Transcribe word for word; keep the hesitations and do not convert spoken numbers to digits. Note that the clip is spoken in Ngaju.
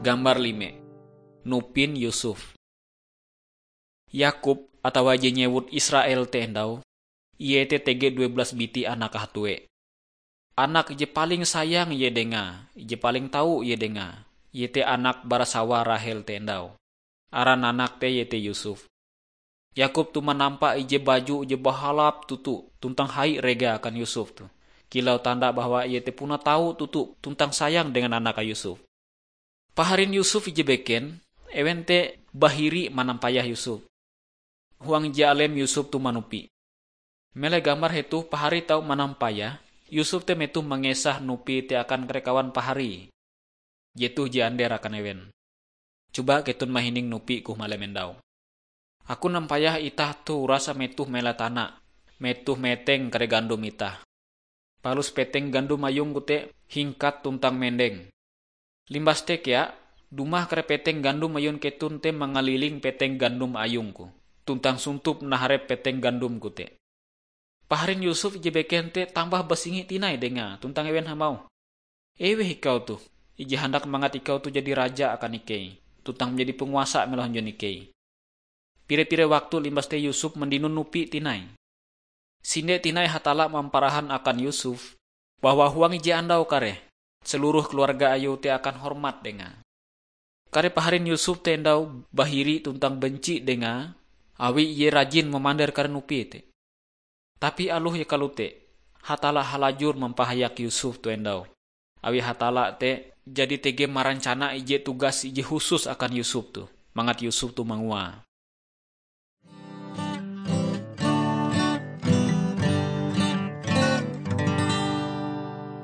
Gambar lime. Nupin Yusuf. Yakub atawa je nyewut Israel te endau, ie te tege due belas biti anak hatue. Anak je paling sayang ie dengae, je paling tau ie dengae, iete anak bara sawa Rahel te endau. Aran anak te iete Yusuf. Yakub toh manampa ije baju je bahalap toto tuntang hai rega akan Yusuf toh, kilau tanda bahwa ie te puna tau toto tuntang sayang dengan anake Yusuf. Paharin Yusuf ije beken, ewen te bahiri manampayah Yusuf. Huang ije alem Yusuf toh manupi. Meleh gambar hetoh, pahari tau manampayah, Yusuf te metoh mangesah nupi te akan kare kawan pahari. Jetoh je ander akan ewen. Coba keton mahining nupi koh malem endau. Aku nampayah itah toh urasa metoh mela tana, metoh meteng kare gandom itah. Palus peteng gandom ayungku te hingkat tuntang mendeng. Limbas te kea, dumah kare peteng gandom ayun keton te mangaliling peteng gandom ayungku, tuntang suntup naharep peteng gandomku te. Paharin Yusuf ije beken te tambah basingi tinai dengae tuntang ewen hamauh, "Eweh ikau toh, ije handak mangat ikau toh jadi raja akan ikei, tuntang manjadi panguasa melo hunjun ikei." Pire-pire waktu limbas te Yusuf mandinon nupi tinai. Sinde tinai Hatalla mamparahan akan Yusuf bahwa huang ije andau kareh, seluruh keluarga ayue te akan hormat dengae. Kare paharin Yusuf te endau bahiri tuntang benci dengae, awi ie rajin mamander kare nupi te. Tapi aloh ie kalote, Hatalla halajur mampahayak Yusuf toh endau. Awi Hatalla te jadi tege marancana ije tugas ije husus akan Yusuf toh, mangat Yusuf toh manguae.